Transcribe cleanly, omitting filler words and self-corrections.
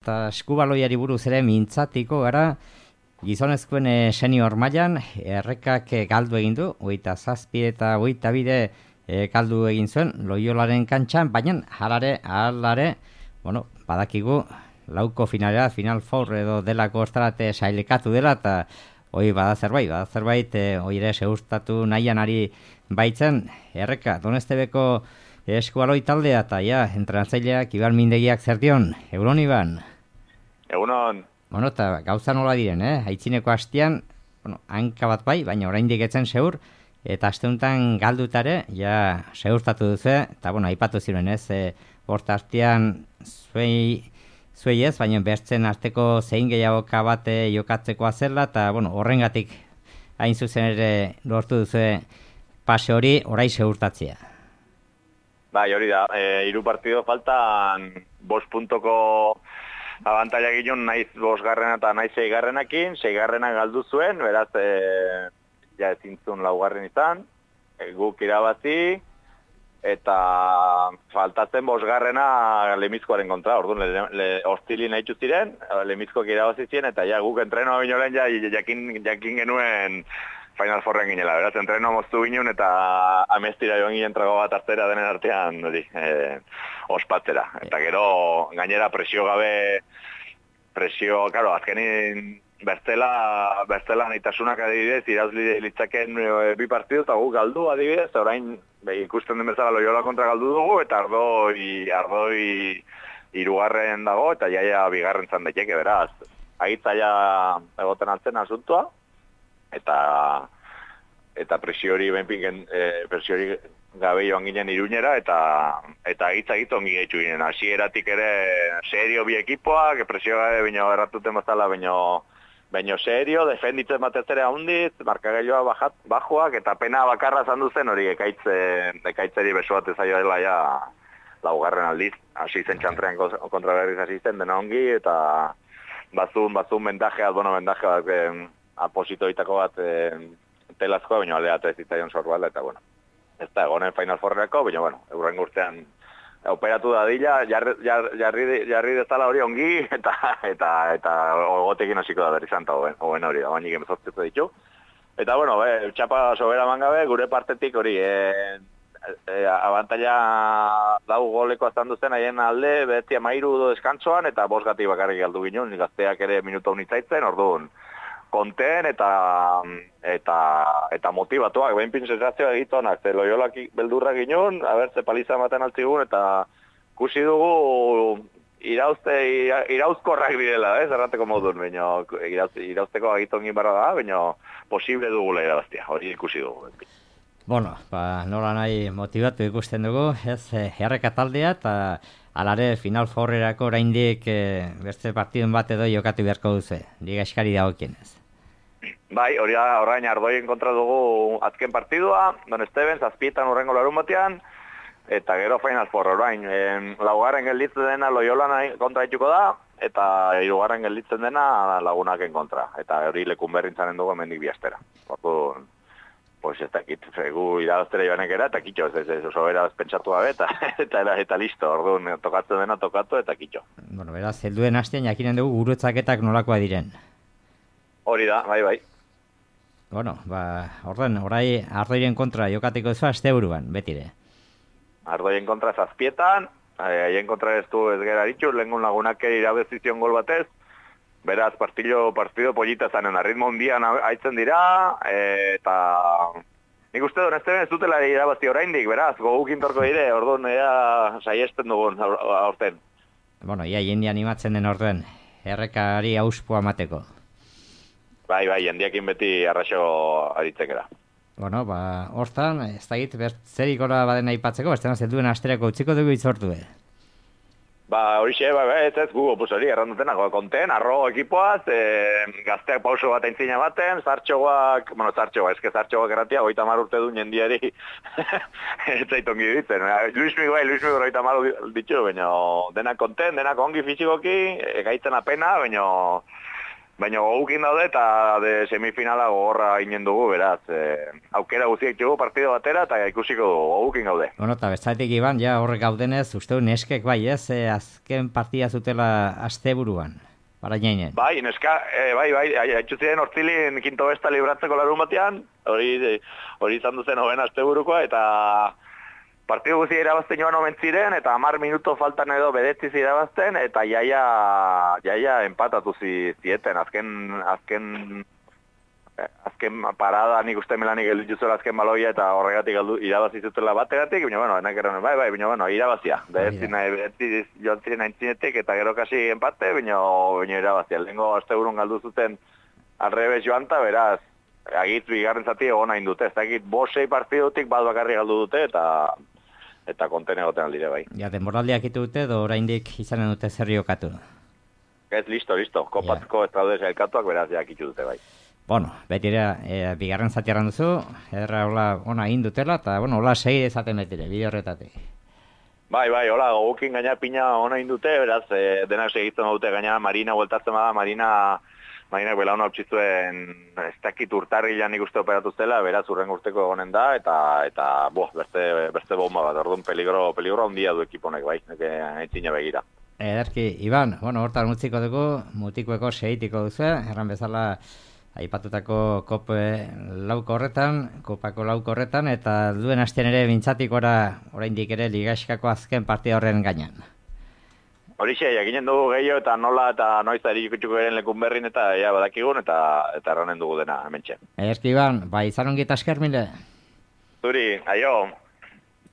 Eta eskubaloiari buruz ere mintzatiko gara, gizonezkoen senior mailan errekak galdu egin du, 27 eta 22 galdu egin zuen Loiolaren kantxan, baina halare, badakigu lauko finalera, Final Four edo delako ostarate sailekatu dela, eta hoi bada zerbait, hoi ere seustatu nahian ari baitzen erreka, Donestebeko eskubaloi taldea, eta entrenatzaileak Iban Mindegiak zer dion, Egunon Iban? Egunon. Eta gauza nola diren, aitzineko hastian, hanka bat bai, baina oraindik etzen seur, eta aste honetan galdutare, seurtatu duzu, eta aipatu ziren horta hastian zuei ez, baina bertzen arteko zein gehiagoka bat jokatzekoa zela, eta horrengatik hain zuzen ere lortu duzu pase hori orai seurtatzea. Bai, hori da, 3 partido faltan 5 puntoko abantaila ginen naiz 5garrena eta naiz 6garrenakin, 6garrena galdu zuen, beraz, ezin zuen 4garren izan, guk irabazi, eta faltatzen 5garrena Lemizkoaren kontra, orduan, hostili nahi ziren, Lemizkoak irabazi ziren, eta guk entrenoa binolen jakin genuen Final Fourren ginela, beraz, entrenoa moztu ginen, eta amestira joan ginen trago bat hartzera denen artean, ospatzera. Eta gero, gainera presio gabe, karo, azkenin bestela nahitasunak adibidez, irauzli litzaken 2 partidu, eta guk galdu adibidez, orain ikusten den bezala Loiola kontra galdu dugu, eta ardoi 3garren dago, eta jaia 2garren zan daiteke, beraz. Agitzaia egoten altzen asuntua, eta presio hori gabe joan ginen Iruñera, eta agitza ongi gaitu ginen. Hasieratik ere serio bi ekipoak, presio gabe bino erratuten bazala, bino serio, defenditzen batez ere handiz, markagailoa bajoak, eta pena bakarra zandu zen hori ekaitzeri beso bat ezaio dela 4garren aldiz. Hasi zen txantrean kontra berriz hasi zen dena ongi, eta bazun bendajeak, apositoitako bat telazkoa, baina aldeatu ez zitzaion sorbala, eta ez da egonen Final Fourreko, baina eurren urtean operatu dadila, jarri dezala hori ongi, eta ogotekin hasiko da berrizan, eta hoben hori da, bainik emezortzetu ditu. Eta txapa sobera mangabe, gure partetik hori, abantaila 4 goleko aztan duzen haien alde, beti 13 deskantzoan, eta 5 gati bakarrik galdu ginen, gazteak ere minuto unitzaitzen, orduan, konten eta motivatuak, behinpin sensazioa egitonak, ze Loiolak beldurra ginen, ze paliza ematen altzigun, eta kusi dugu irauzkorrak direla, errateko modun, baina irauzteko agitongin barra da, baina posible dugula irabaztia, hori ikusi dugu. Nola nahi motivatu ikusten dugu, erreka taldea, eta alare Final Fourrerako oraindik beste partidun bat edo jokatu beharko duzu, liga eskari dagokienez. Bai, orain Ardoien kontra dugu azken partidua, Donesteven, 7 urrengo larun batean, eta gero Final Four orain, 4garren gelditzen dena Loiolan kontra dituko da, eta 3garren gelditzen dena Lagunaken kontra, eta hori lekun berrintzen dugu hemendik biastera. Ez dakit, gu irabaztera joanek era, eta kitxo, ez oso beraz pentsatu gabe, eta listo, orduan tokatzen dena tokatu, eta kitxo. Beraz, helduen hastean jakinen dugu gurutzaketak nolakoa diren. Hori da, bai. Orduan, orai Ardoien kontra jokatiko zu asteburuan, betire. Ardoien kontra 7, haien kontra ez du ez gera ditxu, lehengun Lagunak irabezizion gol batez, beraz, partido polita zanen, ritmo hundian haitzen dira, eta nik uste Donesteven ez dutela irabazi oraindik, beraz, gogukin torko dire, orduan saiesten dugun aurten. Ia jendi animatzen den orduan, errekari auspua mateko. Bai, jendiakin beti arraxo aritzekera. Hortan, ez da git, zerik ora baden aipatzeko, ez duen asterako utziko dugu itzortu, Horixe, ez gu, hori, errandutena, konten, arro ekipoaz, gazteak pauso bat aintzina baten, zartxoak erratia, 30 urte duen jendiari, ez zaitongi ditzen. Luis Miguel 30 ditu, baina denak konten, denak ongi fizikoki, egaitzen apena, baina Baina gogukin daude eta semifinala gogorra ginen dugu, beraz. Aukera guztiak dugu partido batera eta ikusiko dugu, gogukin gaude. Bueno, eta bestatik Iban, ja horrek gaudenez, uste du neskek bai ez, azken partida zutela asteburuan. Para jainen. Bai, neska, bai, haitxu ziren hortzilin kinto besta libratzeko larun batean, hori izan duzen hoben asteburukoa, eta partidu guzi irabazten joan omen ziren, eta 10 minuto faltan edo bedetziz irabazten, eta jaia empatatu zieten, azken parada nik uste melanik gelditu azken baloia eta horregatik irabazi zutela bategatik, baina bueno, enak erran, bai, baina bueno, irabazia. Bedetziz joan ziren aintzinetik eta gero kasi empate, baina irabazia. Lehenko asteburun galdu zuten alrebez joan ta, beraz, agitz bigarren zati egon hain dute. Ez dakit 5-6 partidutik bat bakarri galdu dute eta konten egoten aldire bai. Ja, denboraldiak itu dute, edo oraindik izanen dute zer jokatu. Ez, listo. Kopatko ez daude elkatuak, beraz, jakitu dute bai. Bueno, betira, bigarren zati erran duzu, erra ona egin dutela, eta bueno, hola segi ezaten betire, bide horretatik. Bai, hola, gogukin gaina pina ona egin dute, beraz, denak segitzen dute gaina Marina bueltatzen bada, Marinak belauna hau ez dakit urtarrilan ikuste operatu zela, beraz urren urteko egonen da, eta beste bomba bat, orduan peligro handia du ekiponek, bai, aintzina begira. Ederki, Iban, bueno, hortan mutziko dugu, mutikueko segitiko duzu, erran bezala, aipatutako kopako lauko horretan, eta duen hastean ere bintzatik oraindik ere ligaxkako azken partida horren gainean. Horixe, jakinen dugu gehiago eta nola eta noiz ari ikutsuko geren lekun berrin eta badakigun eta erranen dugu dena hementxe. Ederki Iban, izan ongi eta esker mile. Zuri, aio.